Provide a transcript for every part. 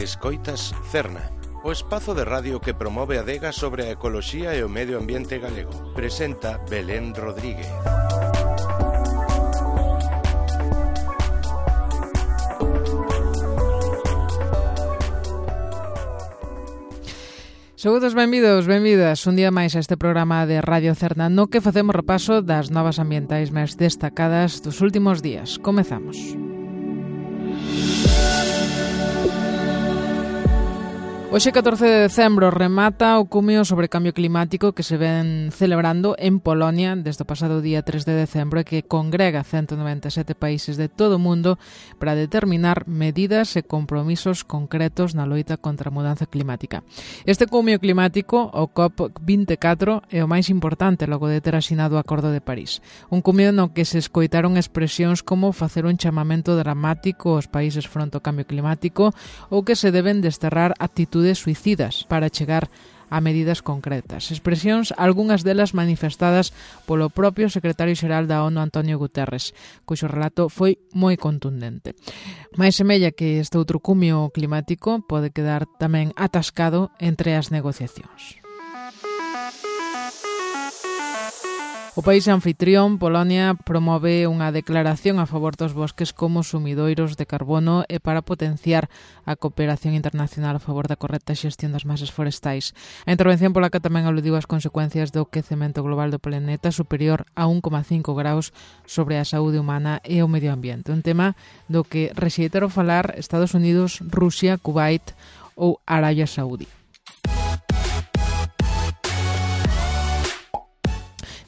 Escoitas Cerna, o espazo de radio que promove a adega sobre a ecoloxía e o medio ambiente galego. Presenta Belén Rodríguez. Saúdos, benvidos, benvidas un día máis a este programa de Radio Cerna no que facemos repaso das novas ambientais máis destacadas dos últimos días. Comezamos. Hoxe, 14 de decembro, remata o cumio sobre cambio climático que se ven celebrando en Polonia desde o pasado día 3 de decembro e que congrega 197 países de todo o mundo para determinar medidas e compromisos concretos na loita contra a mudanza climática. Este cumio climático, o COP24, é o máis importante logo de ter asinado o Acordo de París. Un cumio no que se escoitaron expresións como facer un chamamento dramático aos países fronte ao cambio climático ou que se deben desterrar actitudes suicidas para chegar a medidas concretas. Expresións, algunhas delas manifestadas polo propio secretario xeral da ONU, Antonio Guterres, cuxo relato foi moi contundente. Mais semella que este outro cumio climático pode quedar tamén atascado entre as negociacións. O país anfitrión, Polonia, promove unha declaración a favor dos bosques como sumidoiros de carbono e para potenciar a cooperación internacional a favor da correcta xestión das masas forestais. A intervención polaca tamén aludiu ás consecuencias do quecemento global do planeta superior a 1,5 graus sobre a saúde humana e o medio ambiente. Un tema do que rexeitaron falar Estados Unidos, Rusia, Kuwait ou Arabia Saudí.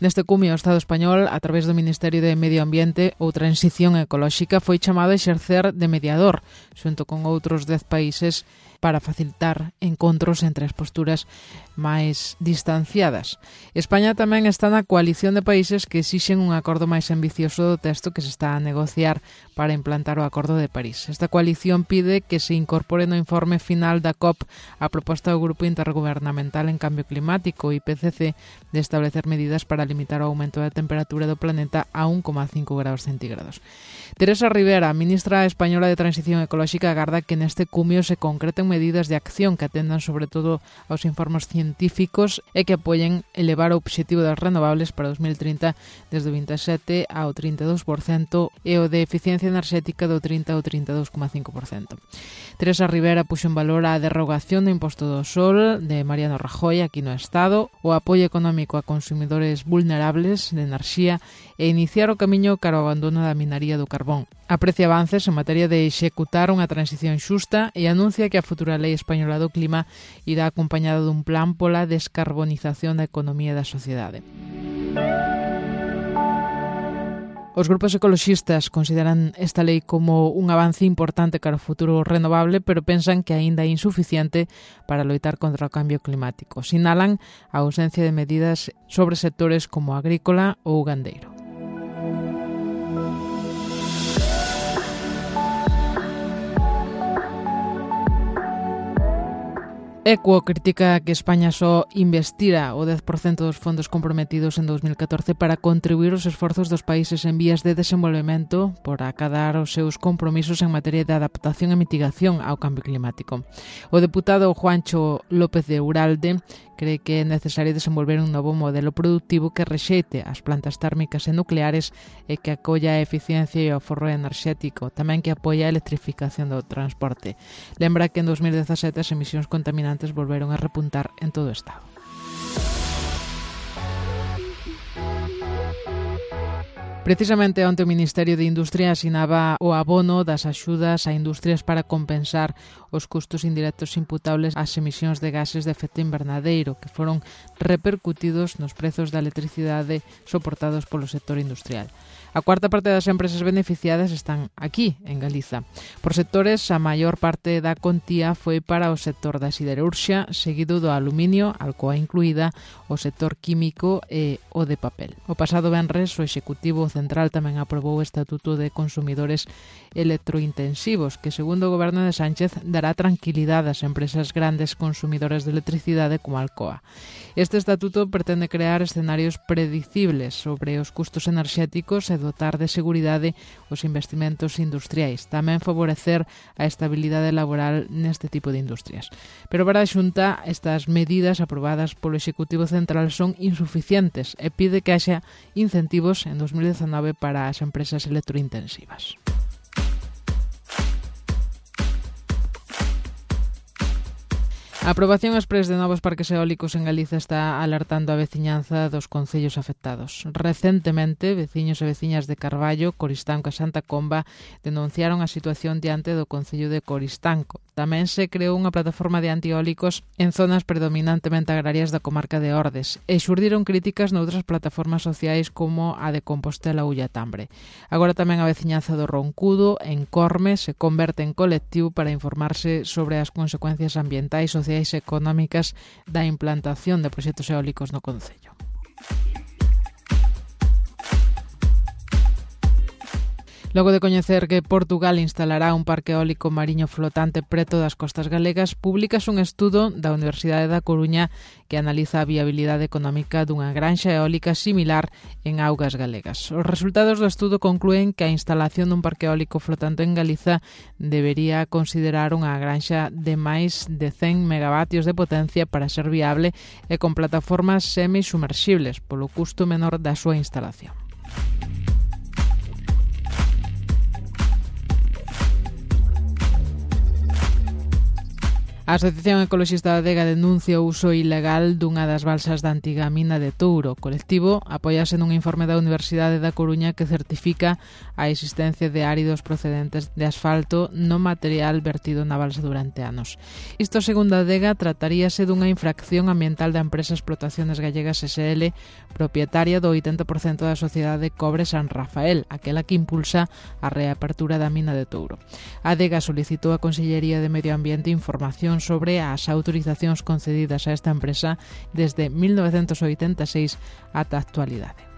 Neste cumio, o Estado español, a través do Ministerio de Medio Ambiente ou Transición Ecolóxica, foi chamado a exercer de mediador, xunto con outros 10 países, para facilitar encontros entre as posturas máis distanciadas. España tamén está na coalición de países que exixen un acordo máis ambicioso do texto que se está a negociar para implantar o Acordo de París. Esta coalición pide que se incorpore no informe final da COP a proposta do Grupo Intergubernamental en Cambio Climático, IPCC, de establecer medidas para limitar o aumento da temperatura do planeta a 1,5 graus centígrados. Teresa Rivera, ministra española de Transición Ecolóxica, agarda que neste cumio se concreten medidas de acción que atendan sobre todo aos informes científicos e que apoyen elevar o obxectivo das renovables para 2030 desde o 27% ao 32% e o de eficiencia enerxética do 30% ao 32,5%. Teresa Rivera puxo en valor a derrogación do imposto do sol de Mariano Rajoy aquí no Estado, o apoio económico a consumidores vulnerables de enerxía e iniciar o camiño cara ao abandono da minaría do carbón. Aprecia avances en materia de executar unha transición xusta e anuncia que a futura Lei Española do Clima irá acompañada dun plan pola descarbonización da economía e da sociedade. Os grupos ecoloxistas consideran esta lei como un avance importante cara ao futuro renovable, pero pensan que aínda é insuficiente para loitar contra o cambio climático. Sinalan a ausencia de medidas sobre sectores como agrícola ou gandeiro. Equo critica que España só investira o 10% dos fondos comprometidos en 2014 para contribuir os esforzos dos países en vías de desenvolvemento por acadar os seus compromisos en materia de adaptación e mitigación ao cambio climático. O deputado Juancho López de Uralde cree que é necesario desenvolver un novo modelo productivo que rexeite as plantas térmicas e nucleares e que acolla a eficiencia e o aforro enerxético, tamén que apoia a electrificación do transporte. Lembra que en 2017 as emisións contaminantes volveron a repuntar en todo o Estado. Precisamente onte o Ministerio de Industria asinaba o abono das axudas a industrias para compensar os custos indirectos imputables ás emisións de gases de efecto invernadeiro que foron repercutidos nos prezos da electricidade soportados polo sector industrial. A cuarta parte das empresas beneficiadas están aquí, en Galiza. Por sectores, a maior parte da contía foi para o sector da siderurxia, seguido do aluminio, Alcoa incluída, o sector químico e o de papel. O pasado venres, o Executivo Central tamén aprobou o Estatuto de Consumidores Electrointensivos, que, segundo o Goberno de Sánchez, dará tranquilidade ás empresas grandes consumidoras de electricidade como Alcoa. Este estatuto pretende crear escenarios predicibles sobre os custos enerxéticos e dotar de seguridade os investimentos industriais, tamén favorecer a estabilidade laboral neste tipo de industrias. Pero para a Xunta, estas medidas aprobadas polo Executivo Central son insuficientes e pide que haxa incentivos en 2019 para as empresas electrointensivas. A aprobación exprés de novos parques eólicos en Galiza está alertando a veciñanza dos concellos afectados. Recentemente, veciños e veciñas de Carballo, Coristanco e Santa Comba denunciaron a situación diante do Concello de Coristanco. Tamén se creou unha plataforma de antieólicos en zonas predominantemente agrarias da comarca de Ordes e xurdiron críticas noutras plataformas sociais como a de Compostela ou Tambre. Agora tamén a veciñanza do Roncudo, en Corme, se converte en colectivo para informarse sobre as consecuencias ambientais, sociais e económicas da implantación de proxectos eólicos no concello. Logo de coñecer que Portugal instalará un parque eólico mariño flotante preto das costas galegas, publicas un estudo da Universidade da Coruña que analiza a viabilidade económica dunha granxa eólica similar en augas galegas. Os resultados do estudo conclúen que a instalación dun parque eólico flotante en Galiza debería considerar unha granxa de máis de 100 megavatios de potencia para ser viable e con plataformas semisumerxibles, polo custo menor da súa instalación. A Asociación Ecoloxista da Adega denuncia o uso ilegal dunha das balsas da antiga mina de Touro. O colectivo apóiase nun informe da Universidade da Coruña que certifica a existencia de áridos procedentes de asfalto no material vertido na balsa durante anos. Isto, segundo a Adega, trataríase dunha infracción ambiental da empresa Explotaciones Gallegas SL, propietaria do 80% da sociedade Cobre San Rafael, aquela que impulsa a reapertura da mina de Touro. A Adega solicitou a Consellería de Medio Ambiente información sobre as autorizacións concedidas a esta empresa desde 1986 ata a actualidade.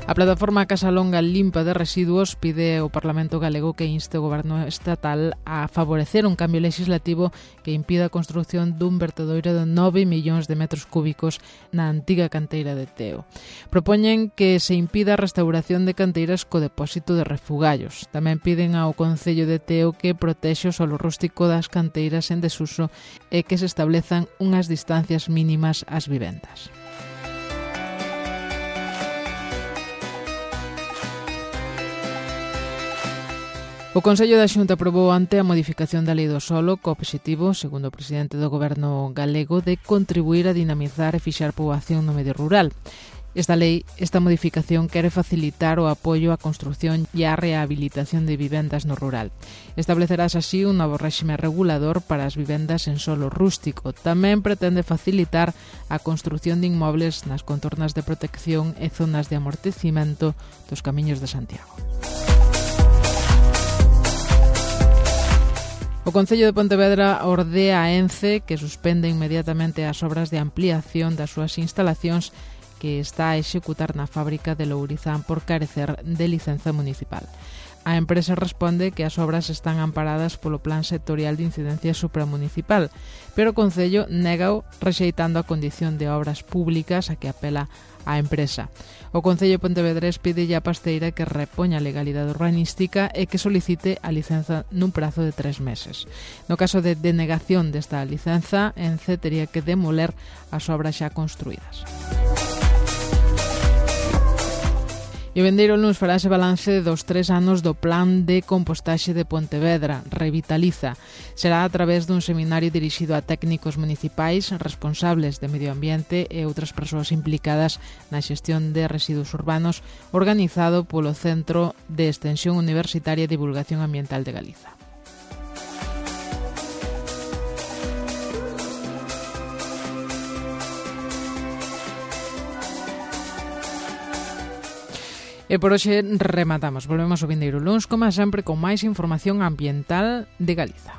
A plataforma Casa Longa Limpa de Residuos pide ao Parlamento galego que inste o Goberno estatal a favorecer un cambio legislativo que impida a construción dun vertedoiro de 9 millóns de metros cúbicos na antiga canteira de Teo. Propoñen que se impida a restauración de canteiras co depósito de refugallos. Tamén piden ao Concello de Teo que protexe o solo rústico das canteiras en desuso e que se establezan unhas distancias mínimas ás vivendas. O Consello da Xunta aprobou ante a modificación da Lei do Solo co obxectivo, segundo o presidente do Goberno galego, de contribuir a dinamizar e fixar poboación no medio rural. Esta modificación quere facilitar o apoio á construción e á rehabilitación de vivendas no rural. Establecerás así un novo réxime regulador para as vivendas en solo rústico. Tamén pretende facilitar a construción de inmobles nas contornas de protección e zonas de amortecimento dos camiños de Santiago. O Concello de Pontevedra ordea a ENCE que suspende inmediatamente as obras de ampliación das súas instalacións que está a executar na fábrica de Lourizán por carecer de licenza municipal. A empresa responde que as obras están amparadas polo Plan Sectorial de Incidencia Supramunicipal, pero o Concello négao rexeitando a condición de obras públicas a que apela a empresa. O Concello Pontevedrés pide a Pasteira que repoña a legalidade urbanística e que solicite a licenza nun prazo de 3 meses. No caso de denegación desta licenza, ENCE tería que demoler as obras xa construídas. E o vindeiro luns farase balance dos 3 anos do Plan de Compostaxe de Pontevedra, Revitaliza. Será a través dun seminario dirixido a técnicos municipais, responsables de medio ambiente e outras persoas implicadas na xestión de residuos urbanos, organizado polo Centro de Extensión Universitaria e Divulgación Ambiental de Galiza. E por hoxe rematamos. Volvemos o vindeiro luns, como sempre, con máis información ambiental de Galiza.